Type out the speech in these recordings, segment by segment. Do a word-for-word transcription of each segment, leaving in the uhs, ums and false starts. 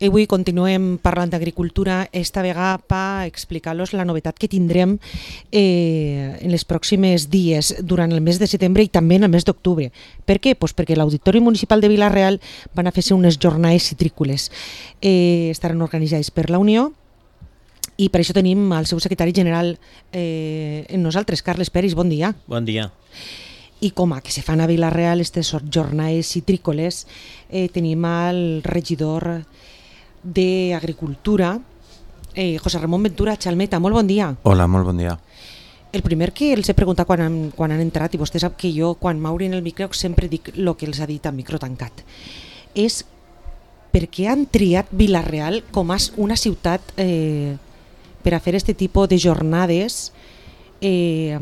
Avui continuem parlant d'agricultura, esta vegada per explicar-los la novetat que tindrem eh, en les pròximes dies durant el mes de setembre i també en el mes d'octubre. Per què? Pues perquè l'Auditori Municipal de Vila-real van a fer-se unes jornades citrícoles. Eh, estaran organitzades per la Unió i per això tenim el seu secretari general eh, en nosaltres, Carles Peris. Bon dia. Bon dia. I com a que se fan a Vila-real aquestes jornades citrícoles, eh, tenim el regidor d'Agricultura, eh, José Ramón Ventura Chalmeta. Molt bon dia. Hola, molt bon dia. El primer que els he preguntat quan han, quan han entrat, i vostè sap que jo quan m'obrin el micro sempre dic el que els ha dit a micro tancat, és per què han triat Vila-real com a una ciutat eh, per a fer aquest tipus de jornades eh,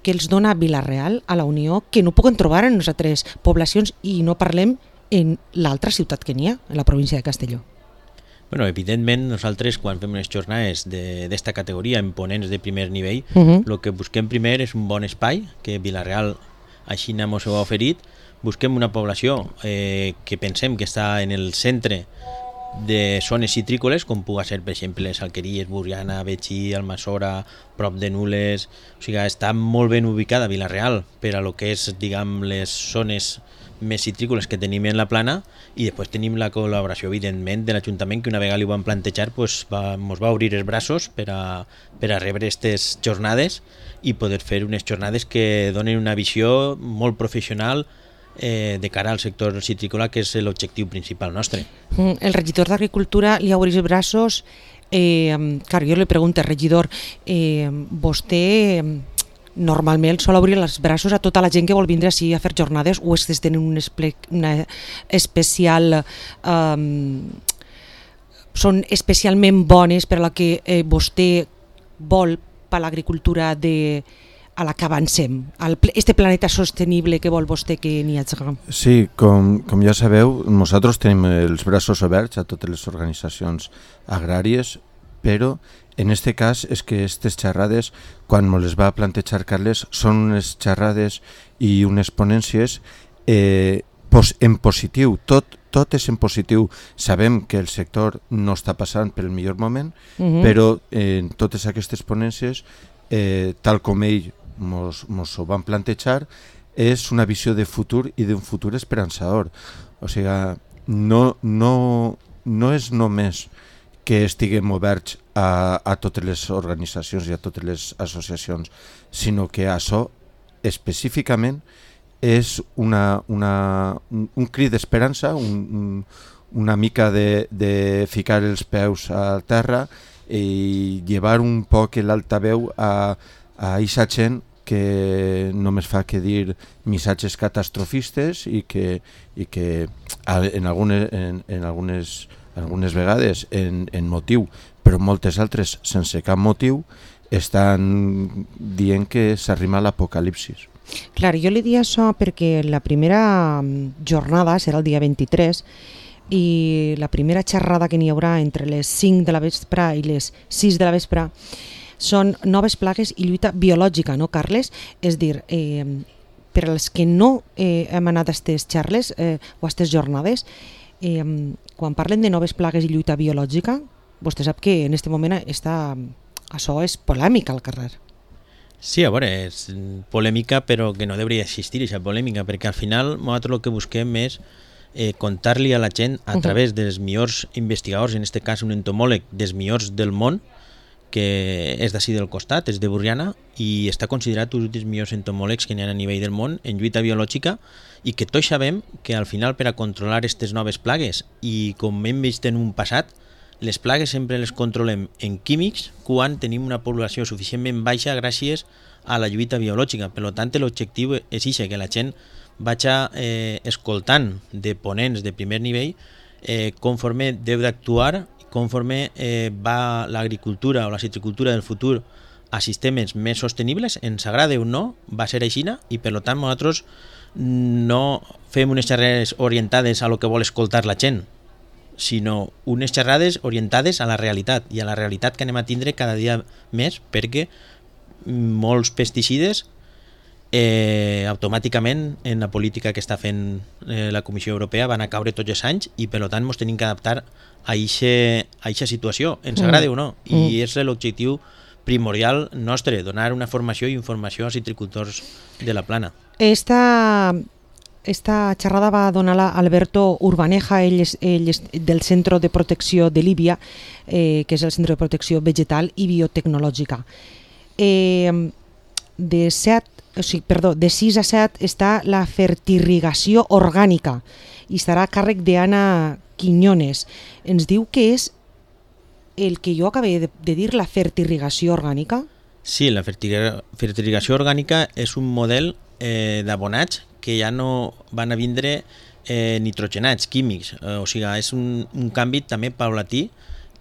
que els dona Vila-real a la Unió, que no poden trobar en les altres poblacions, i no parlem en l'altra ciutat que n'hi ha, en la província de Castelló. Bueno, evidentment, nosaltres quan fem unes jornades d'esta categoria en ponents de primer nivell, el Uh-huh. lo que busquem primer és un bon espai, que Vila-real així ens ho ha oferit. Busquem una població eh, que pensem que està en el centre de zones citrícoles, com pugui ser, per exemple, les Alqueries, Borriana, Betxí, Almassora, prop de Nules. O sigui, està molt ben ubicada Vila-real per a lo que és, diguem, les zones més citrícoles que tenim en la plana, i després tenim la col·laboració, evidentment, de l'Ajuntament, que una vegada li ho van plantejar, pues, va, mos va obrir els braços per a, per a rebre aquestes jornades i poder fer unes jornades que donen una visió molt professional eh, de cara al sector citrícola, que és l'objectiu principal nostre. Mm, El regidor d'Agricultura li ha obrit els braços. Eh, clar, jo li pregunto, regidor, eh, vostè normalment sol obrir els braços a tota la gent que vol vindre així a fer jornades, o és que tenen un esple, una especial um, són especialment bones per a la que eh, vostè vol per l'agricultura de a la que avancem, al este planeta sostenible que vol vostè que n'hi hagi? Sí, com, com ja sabeu, nosaltres tenim els braços oberts a totes les organitzacions agràries, però en este cas és que aquestes xerrades, quan me les va plantejar Carles, són unes xerrades i unes ponències eh, pos, en positiu, tot, tot és en positiu. Sabem que el sector no està passant pel millor moment, Uh-huh. però eh, en totes aquestes ponències, eh, tal com ell mos, mos ho van plantejar, és una visió de futur i d'un futur esperançador. O sigui, no, no, no és només que estiguem oberts a, a totes les organitzacions i a totes les associacions, sinó que això específicament és una, una, un, un crit d'esperança, un, un, una mica de, de ficar els peus a terra i llevar un poc l'altaveu a, a aquesta gent que només fa que dir missatges catastrofistes i que, i que en algunes, en, en algunes algunes vegades en, en motiu, però moltes altres sense cap motiu, estan dient que s'arrima l'apocalipsis. Clar, jo li dic això perquè la primera jornada serà el dia vint-i-tres i la primera xerrada que n'hi haurà entre les cinc de la vespre i les sis de la vespre són noves plagues i lluita biològica, no, Carles? És dir, eh, per als que no eh, hem anat a aquestes xerles eh, o a aquestes jornades, Eh, quan parlen de noves plagues i lluita biològica, vostè sap que en aquest moment està, això és polèmica al carrer. Sí, a veure, és polèmica, però que no hauria d'existir aquesta polèmica, perquè al final nosaltres el que busquem és eh, contar-li a la gent a través dels millors investigadors, en aquest cas un entomòleg dels millors del món, que és d'ací del costat, és de Borriana, i està considerat un dels millors entomòlegs que n'hi ha a nivell del món en lluita biològica, i que tots sabem que al final per a controlar aquestes noves plagues, i com hem vist en un passat, les plagues sempre les controlem en químics quan tenim una població suficientment baixa gràcies a la lluita biològica. Per tant, l'objectiu és això, que la gent vagi eh, escoltant de ponents de primer nivell eh, conforme deu d'actuar, conforme eh, va l'agricultura o la citricultura del futur a sistemes més sostenibles, ens agrada o no, va ser aixina, i per tant nosaltres no fem unes xerrades orientades a lo que vol escoltar la gent, sinó unes xerrades orientades a la realitat, i a la realitat que anem a tindre cada dia més, perquè molts pesticides eh, automàticament en la política que està fent eh, la Comissió Europea van a caure tots els anys i per tant ens tenim que adaptar a aquesta situació, ens agrada mm. o no, i mm. és l'objectiu primordial nostre, donar una formació i informació als citricultors de la Plana. Esta, esta xerrada va donar-la Alberto Urbaneja, ell és, ell és del Centre de Protecció de Líbia, eh, que és el Centre de Protecció Vegetal i Biotecnològica. Eh, de, set, o sigui, perdó, de sis a set està la fertirrigació orgànica i estarà a càrrec d'Anna Quiñones. Ens diu que és el que jo acabé de, de dir, la fertirrigació orgànica? Sí, la fertirrigació orgànica és un model eh, d'abonats que ja no van a vindre eh, nitrogenats, químics, eh, o sigui, és un, un canvi també paulatí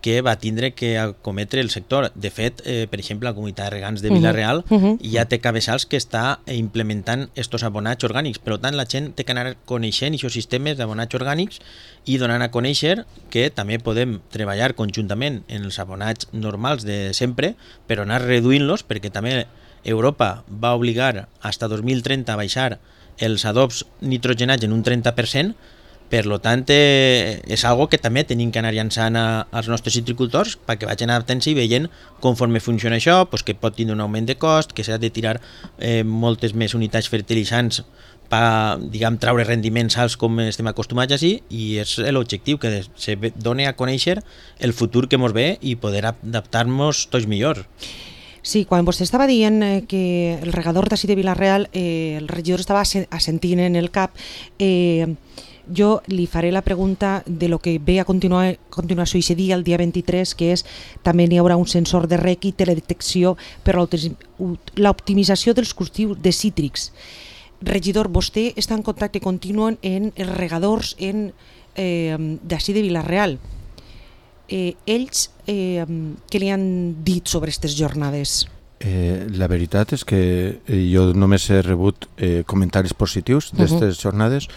que va tindre que acometre el sector. De fet, eh, per exemple, la comunitat de regants de Vila-real uh -huh. ja té cabeçals que està implementant estos abonats orgànics. Per tant, la gent té que anar coneixent aquests sistemes d'abonats orgànics i donant a conèixer que també podem treballar conjuntament en els abonats normals de sempre, però anar reduint-los, perquè també Europa va obligar fins a dos mil trenta a baixar els adobs nitrogenats en un trenta per cent. Per tant, eh, és algo que també tenim que anar llançant a, als nostres citricultors perquè vagin adaptant-se i veient conforme funciona això, pues, que pot tenir un augment de cost, que s'ha de tirar eh, moltes més unitats fertilitzants per, diguem, traure rendiments alts com estem acostumats així, i és l'objectiu, que se doni a conèixer el futur que ens ve i poder adaptar-nos tots millor. Sí, quan vostè estava dient eh, que el regador d'ací de Vila-real, eh, el regidor estava assentint en el cap, eh, jo li faré la pregunta de lo que ve a continuar, a continuació aquest dia, el dia vint-i-tres, que és també n'hi haurà un sensor de rec i teledetecció per l'optimització dels cultius de cítrics. Regidor, vostè està en contacte continu en els regadors en, eh, d'ací de Vila-real. Eh, ells, eh, què li han dit sobre aquestes jornades? Eh, la veritat és que jo només he rebut eh, comentaris positius d'aquestes uh-huh. jornades.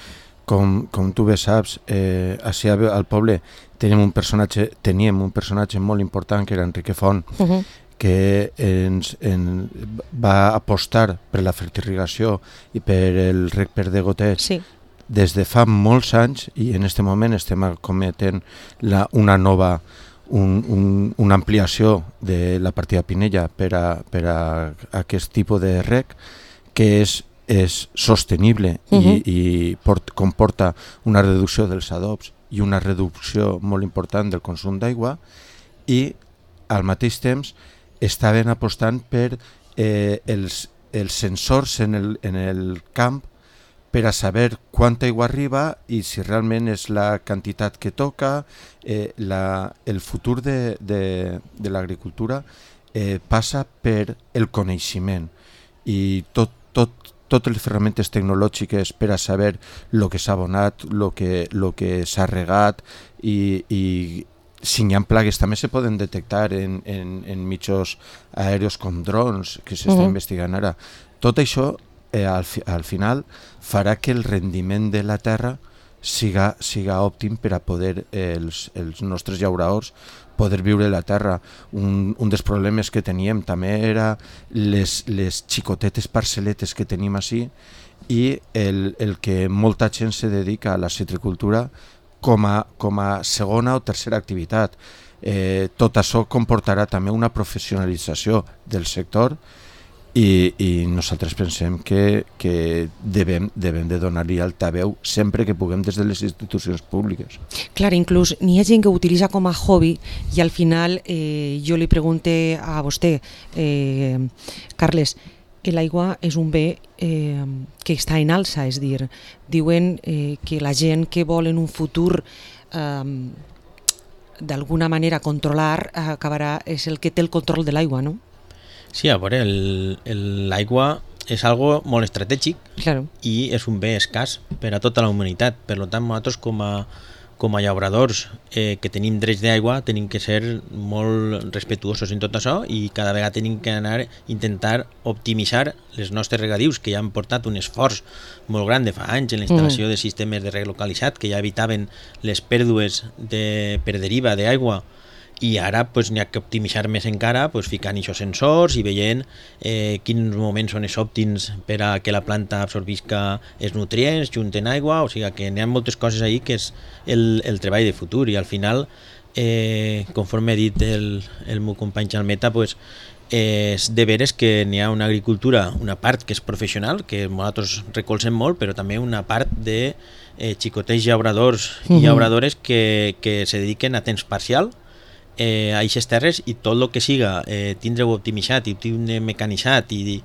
Com, com tu bé saps, eh, així al poble teníem un personatge, teníem un personatge molt important que era Enrique Font, uh-huh. que ens, en, va apostar per la fertirrigació i per el rec per degoteig sí. des de fa molts anys, i en aquest moment estem acometent la, una nova un, un, una ampliació de la partida Pinella per a, per a aquest tipus de rec, que és és sostenible uh-huh. i, i port, comporta una reducció dels adobs i una reducció molt important del consum d'aigua, i al mateix temps estaven apostant per eh, els, els sensors en el, en el camp per a saber quanta aigua arriba i si realment és la quantitat que toca. Eh, la, el futur de, de, de l'agricultura eh, passa per el coneixement, i tot, tot totes les ferramentes tecnològiques per a saber el que s'ha abonat, el que, lo que s'ha regat, i, i si hi ha plagues també se poden detectar en, en, en mitjans aèreos com drons, que s'està uh-huh. investigant ara. Tot això eh, al, fi, al final farà que el rendiment de la terra siga, siga òptim per a poder eh, els, els nostres llauradors poder viure la terra. Un, un dels problemes que teníem també era les, les xicotetes parcel·letes que tenim així, i el, el que molta gent se dedica a la citricultura com a, com a segona o tercera activitat. Eh, tot això comportarà també una professionalització del sector, i, i nosaltres pensem que, que devem, devem de donar-li altaveu sempre que puguem des de les institucions públiques. Clar, inclús n'hi ha gent que ho utilitza com a hobby, i al final eh, jo li pregunte a vostè, eh, Carles, l'aigua és un bé eh, que està en alça, és dir, diuen eh, que la gent que vol en un futur eh, d'alguna manera controlar eh, acabarà, és el que té el control de l'aigua, no? Sí, a veure, l'aigua és algo molt estratègic claro. i és un bé escàs per a tota la humanitat. Per tant, nosaltres com a, com a llauradors eh, que tenim drets d'aigua tenim que ser molt respetuosos en tot això, i cada vegada tenim que anar a intentar optimitzar les nostres regadius, que ja han portat un esforç molt gran de fa anys en la instal·lació mm. de sistemes de reg localitzat que ja evitaven les pèrdues de, per deriva d'aigua i ara pues, n'hi ha que optimitzar més encara pues, ficant aquests sensors i veient eh, quins moments són els òptims per a que la planta absorbisca els nutrients, junten aigua, o sigui que n'hi ha moltes coses ahí que és el, el treball de futur i al final, eh, conforme ha dit el, el meu company Xalmeta, pues, eh, és de veres que n'hi ha una agricultura, una part que és professional, que nosaltres recolzem molt, però també una part de eh, xicotets llauradors i llauradores que, que se dediquen a temps parcial eh, a aquestes terres i tot el que siga eh, tindre-ho optimitzat i tindre mecanitzat i,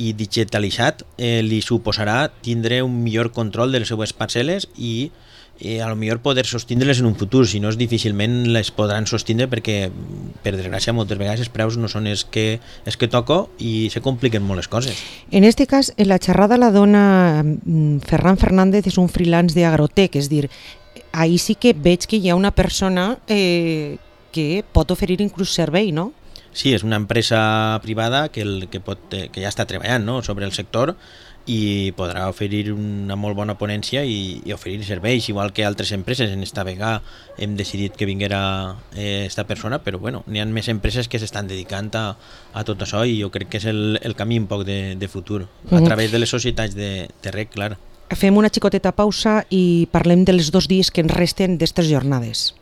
i digitalitzat eh, li suposarà tindre un millor control de les seues parcel·les i eh, a lo millor poder sostindre-les en un futur, si no és difícilment les podran sostindre perquè per desgràcia moltes vegades els preus no són els que, els que toco i se compliquen molt les coses. En este cas, en la xerrada la dona Ferran Fernández, és un freelance d'Agrotec, és dir, ahí sí que veig que hi ha una persona eh, que pot oferir inclús servei, no? Sí, és una empresa privada que, el, que, pot, que ja està treballant, no?, sobre el sector i podrà oferir una molt bona ponència i, i oferir serveis, igual que altres empreses. En esta vegada hem decidit que vinguera eh, esta persona, però bueno, n'hi ha més empreses que s'estan dedicant a, a tot això i jo crec que és el, el camí un poc de, de futur, a través de les societats de, de reg, clar. Fem una xicoteta pausa i parlem dels dos dies que ens resten d'estes jornades.